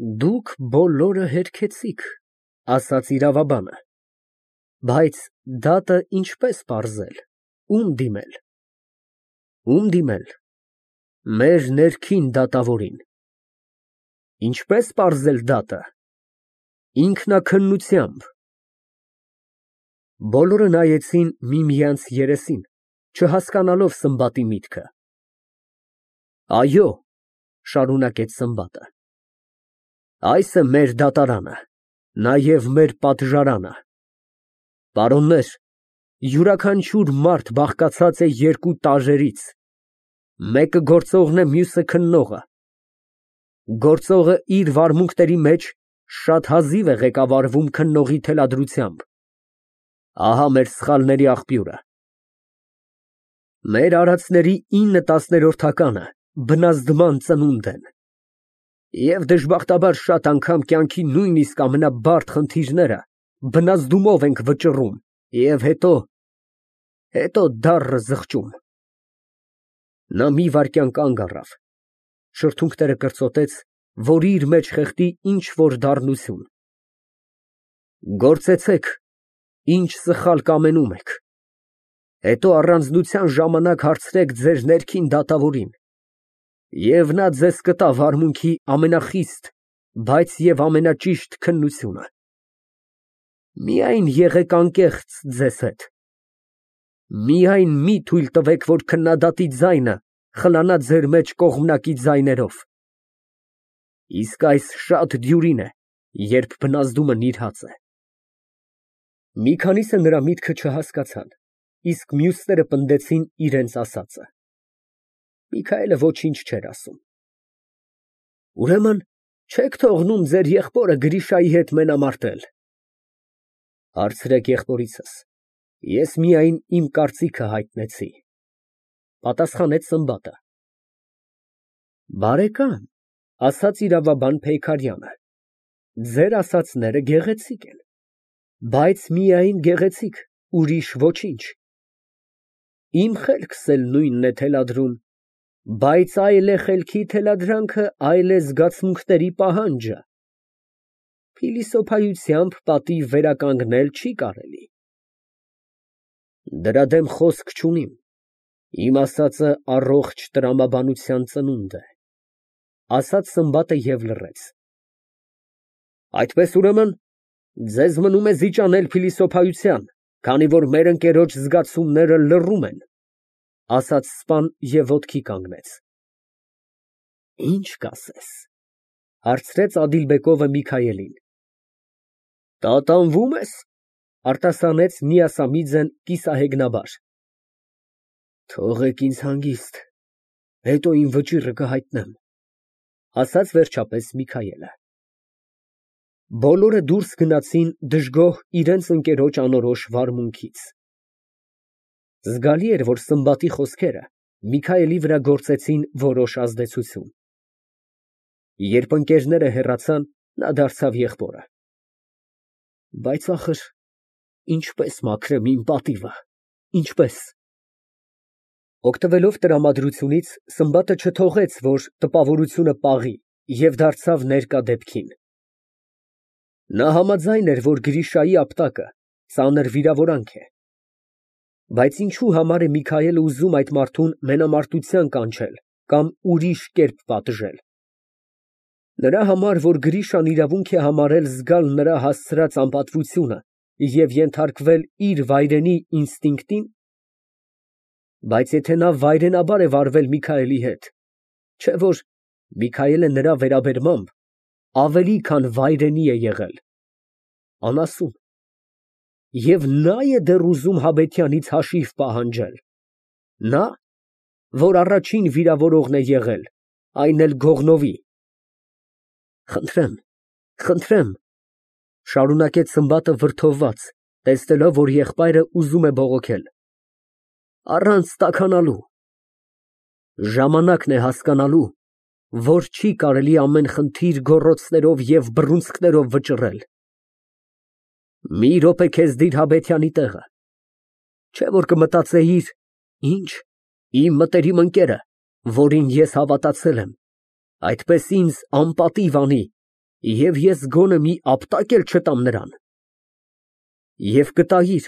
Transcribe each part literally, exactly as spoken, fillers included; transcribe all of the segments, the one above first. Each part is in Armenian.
Դուք բոլորը հերքեցիք, ասաց իրավաբանը, բայց դատը ինչպե՞ս պարզել, ում դիմել։ Ում դիմել։ Մեր ներքին դատավորին։ Ինչպե՞ս պարզել դատը։ Ինքնաքննությամբ։ Բոլորը նայեցին միմյանց երեսին, չհասկանալով Սմբատի միտքը։ Այո, շարունակեց Սմբատը, այս է մեր դատարանը, նաև մեր պատժարանը։ Պարոններ, յուրաքանչյուր մարդ բաղկացած է երկու տարրերից, մեկը գործողն է, մյուսը քննողը։ Գործողը իր վարմունքների մեջ շատ հազիվ է ղեկավարվում քննողի թելադրությամբ։ Ահա մեր սխալների աղբյուրը։ Մեր արածների ինը տասներորդականը բնազդման ծնունդ են, և դժբախտաբար շատ անգամ կյանքի նույնիսկ ամենաբարդ խնդիրները բնազդումով ենք վճռում և հետո, հետո դառը զղջում։ Նա մի վայրկյան կանգ առավ, շրթունքները կրծոտեց, որ իր մեջ խեղդի ինչ֊որ դառնություն։ Գործեցեք, ինչ սխալ կամենում եք, հետո առանձնության ժամանակ հարցրեք ձեր ներքին դատավորին, և նա ձեզ կտա վարմունքի ամենախիստ, բայց և ամենաճիշտ քննությունը։ Միայն եղեք անկեղծ ձեզ հետ։ Միայն մի թույլ տվեք, որ քննադատի ձայնը խլանա ձեր մեջ կողմնակի ձայներով։ Իսկ այս շատ դյուրին է, երբ բնազդումը նիրհած է։ Մի քանիսը նրա միտքը չհասկացան, իսկ մյուսները պնդեցին իրենց ասածը։ Միքայելը ոչինչ չէր ասում։ Ուրեմն չեք թողնում ձեր եղբորը Գրիշայի հետ մենամարտել։ Հարցրեք եղբորիցս, ես միայն իմ կարծիքը հայտնեցի, պատասխանեց Սմբատը։ Բարեկամ, ասաց իրավաբան Փեյքարյանը, ձեր ասածները գեղեցիկ են, բայց միայն գեղեցիկ, ուրիշ ոչինչ։ Իմ խելքս էլ նույնն է թելադրում, բայց այլ է խելքի թելադրանքը, այլ է զգացմունքների պահանջը։ Փիլիսոփայությամբ պատիվ վերականգնել չի կարելի։ Դրա դեմ խոսք չունիմ, իմ ասածը առողջ տրամաբանության ծնունդ է, ասաց Սմբատը և լռեց։ Այդպես ուրեմն, ձեզ մնում է զիջանել փիլիսոփայության, քանի որ մեր ընկերոջ զգացումները լռում են, ասաց սպան և ոտքի կանգնեց։ Ի՞նչ կասես, հարցրեց Ադիլբեկովը Միքայելին։ Տատանվո՞ւմ ես, արտասանեց Միասամիձեն կիսահեգնաբար։ Թողեք ինձ հանգիստ, հետո իմ վճիռը կհայտնեմ, ասաց վերջապես Միքայելը։ Բոլորը դուրս գնացին դժգոհ իրենց ընկերոջ անորոշ վարմունքից։ Զգալի էր, որ Սմբատի խոսքերը Միքայելի վրա գործեցին որոշ ազդեցություն։ Երբ ընկերները հեռացան, նա դարձավ եղբորը. Բայց ախր, ինչպես մաքրեմ իմ պատիվը, ինչպես։ Օգտվելով տրամադրությունից, Սմբատը չթողեց, որ տպավորությունը պաղի, և դարձավ ներկա դեպքին։ Նա համաձայն էր, որ Գրիշայի ապտակը ծանր վիրավորանք է։ Բայց ինչու համար է Միքայելը ուզում այդ մարդուն մենամարտության կանչել կամ ուրիշ կերպ պատժել։ Նրա համար, որ Գրիշան իրավունք է համարել զգալ նրա հասցրած անպատվությունը և ենթարկվել իր վայրենի ինստինկտին։ Բայց եթե նա վայրենաբար է վարվել Միքայելի հետ, չէ՞ որ Միքայելը նրա վերաբերմամբ ավելի քան վայրենի է եղել, անասուն։ Եվ նա է դեռ ուզում Հաբետյանից հաշիվ պահանջել, նա, որ առաջին վիրավորողն է եղել, այն էլ Գողնովի։ Խնդրեմ, խնդրեմ, շարունակեց Սմբատը վրդովված, տեսնելով, որ եղբայրը ուզում է բողոքել, առանց տաքանալու։ Ժամանակն է հասկանալու, որ չի կարելի ամեն խնդիր գոռոցներով և բռունցքներով վճռել։ Մի րոպե քեզ դիր Հաբետյանի տեղը, չէ՞ որ կմտածեիր, ինչ, իմ մտերիմ ընկերը, որին ես հավատացել եմ, այդպես ինձ անպատիվ անի, Եվ ես գոնե մի ապտակ էլ չտամ նրան։ Եվ կտայիր,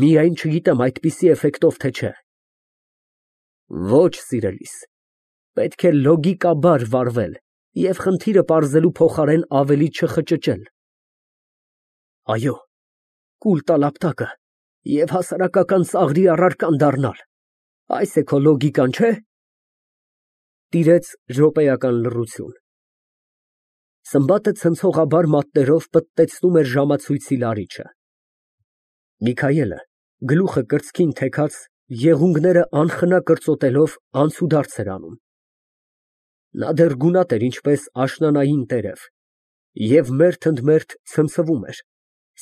միայն չգիտեմ այդպիսի էֆեկտով, թե չէ։ Ոչ, սիրելիս, պետք է լոգիկաբար վարվել և խնդիրը պարզելու փոխարեն ավելի չխճճել։ Այո, կուլ տալ ապտակը և հասարակական ծաղրի առարկան դառնալ, այս է քո լոգիկան, չէ՞։ Տիրեց րոպեական լռություն։ Սմբատը ցնցողաբար մատներով պտտեցնում էր ժամացույցի լարիչը։ Միքայելը, գլուխը կրծքին թեքած, եղունգները անխնա կրծոտելով, անցուդարձ էր անում։ Նա դեռ գունատ էր ինչպես աշնանային տերև և մերթ ընդ մերթ ցնցվում էր,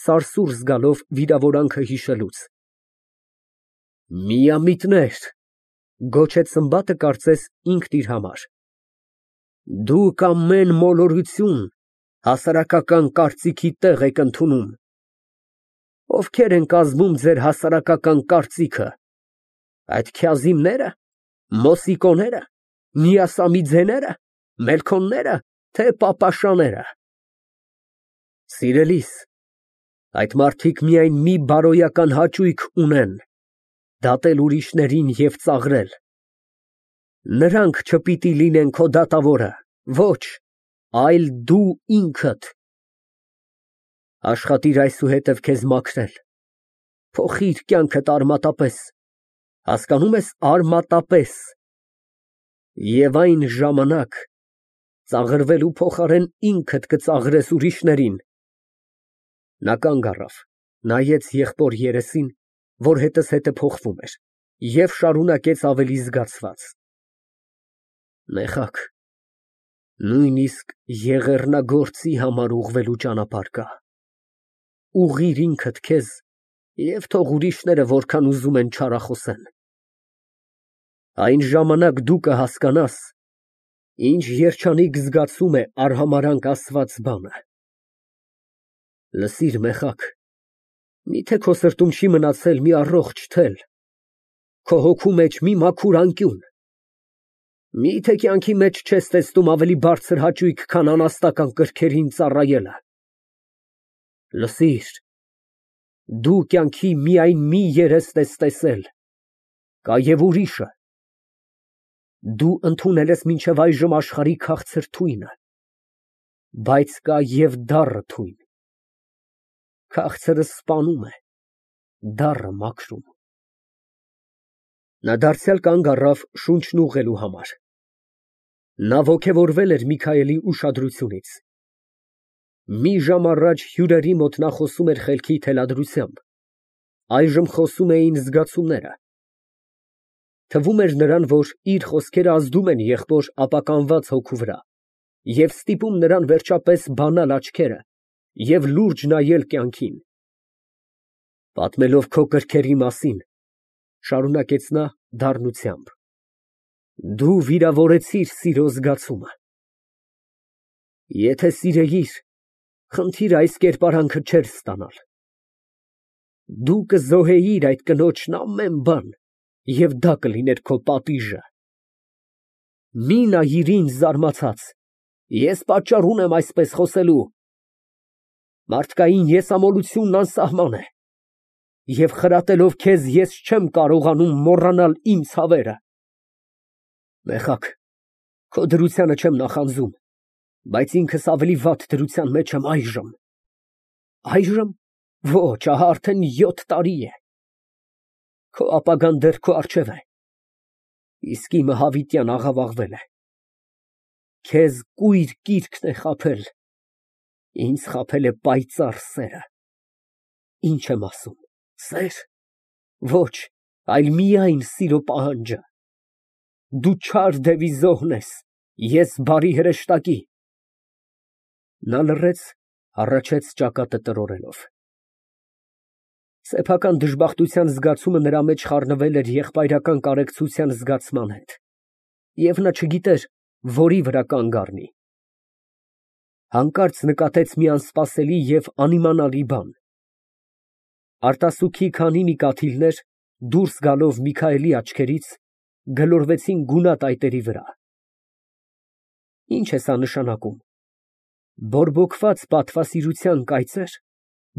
սարսուռ զգալով վիրավորանքը հիշելուց։ Միամիտներ, գոչեց Սմբատը կարծես ինքն իր համար, դուք ամեն մոլորություն հասարակական կարծիքի տեղ եք ընդունում։ Ովքեր են կազմում ձեր հասարակական կարծիքը, այդ Քյազիմնե՞րը, Մոսիկոները, Նիասամիձեները, Մելքոնները, թե Պապաշաները։ Սիրելիս, այդ մարդիկ միայն մի բարոյական հաճույք ունեն, դատել ուրիշներին և ծաղրել։ Նրանք չպիտի լինեն քո դատավորը, ոչ, այլ դու ինքդ։ Աշխատիր այսուհետև քեզ մաքրել, փոխիր կյանքդ արմատապես, հասկանո՞ւմ ես, արմատապես, և այն ժամանակ ծաղրվելու փոխարեն ինքդ կծաղրես ուրիշներին։ Նա կանգ առավ, նայեց եղբոր երեսին, որ հետզհետե փոխվում էր, և շարունակեց ավելի զգացված. Մեղա, նույնիսկ եղեռնագործի համար ուղղվելու ճանապարհ կա, ուղղիր ինքդ քեզ և թող ուրիշները որքան ուզում են չարախոսեն։ Այն ժամանակ դու կհասկանաս, ինչ երջանիկ զգացում է արհամարհանք ասված բանը։ Լսիր, Մեղակ, միթե քո սրտում չի մնացել մի առողջ թել, քո հոգու մեջ մի մաքուր անկյուն, միթե կյանքի մեջ չես տեսնում ավելի բարձր հաճույք, քան անաստական կրքերին ծառայելը։ Լսիր, դու կյանքի միայն մի երեստ ես տեսել, կա և ուրիշը։ Դու ընդունել ես մինչև այժմ աշխարհի քաղցր թույնը, բայց կա և դառը թույն։ Քաղցրը սպանում է, դառը մաքրում։ Նա դարձյալ կանգ առավ շունչն ուղղելու համար։ Նա ոգևորվել էր Միքայելի ուշադրությունից։ Մի ժամ առաջ հյուրերի մոտ նա խոսում էր խելքի թելադրությամբ, այժմ խոսում էին զգացումները։ Թվում էր նրան, որ իր խոսքերը ազդում են եղբոր ապականված հոգու վրա և ստիպում նրան վերջապես բանալ աչքերը և լուրջ նայել կյանքին։ Պատմելով քո կրքերի մասին, շարունակեց նա դառնությամբ, դու վիրավորեցիր սիրո զգացումը։ Եթե սիրեիր, խնդիրը այս կերպարանքը չէր ստանալ։ Դու կզոհեիր այդ կնոջն ամեն բան, և դա կլիներ քո պատիժը։ Մի նայիր ինձ զարմացած, ես պատճառ ունեմ այսպես խոսելու։ Մարդկային եսամոլությունն անսահման է, և խրատելով քեզ ես չեմ կարողանում մոռանալ իմ ցավերը։ Մեղակ, քո դրությանը չեմ նախանձում, բայց ինքս ավելի վատ դրության մեջ եմ այժմ։ Այժմ, ոչ, ահա արդեն յոթ տարի է։ Քո ապագան դեռ քո առջև է, իսկ իմը հավիտյան աղավաղվել է։ Քեզ կույր կիրքն է խաբել, ինձ խաբել է պայծառ սերը։ Ինչ եմ ասում, սե՞ր։ Ոչ, այլ միայն սիրո պահանջը։ Դու չար դևի զոհն ես, ես բարի հրեշտակի։ Նա լռեց, հառաչեց ճակատը տրորելով։ Սեփական դժբախտության զգացումը նրա մեջ խառնվել էր եղբայրական կարեկցության զգացման հետ, և նա չգիտեր որի վրա կանգ առնի։ Հանկարծ նկատեց մի անսպասելի և անիմանալի բան։ Արտասուքի քանի մի կաթիլներ, դուրս գալով Միքայելի աչքերից, գլորվեցին գունատ այտերի վրա։ Ի՞նչ է սա նշանակում։ Բորբոքված պատվասիրության կայծեր,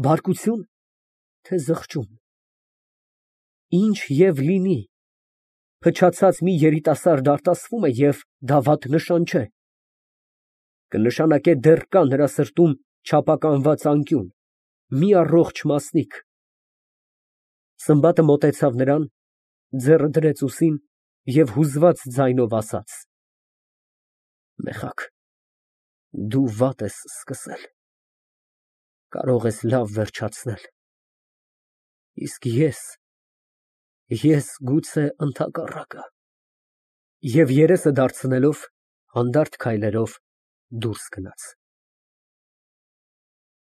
բարկություն, թե զղջում։ Ինչ և լինի, փչացած մի երիտասարդ արտասվում է և դա վատ նշան չէ, կնշանակե դեռ կա նրա սրտում չափականված անկյուն, մի առողջ մասնիկ։ Սմբատը մոտեցավ նրան, ձեռը դրեց ուսին և հուզված ձայնով ասաց. «Մեխակ, դու վատ ես սկսել, կարող ես լավ վերջացնել, իսկ ես… ես գուցե ընդհակառակը»։ Եվ երեսը դարձնելով, հանդարտ քայլերով դուրս գնաց։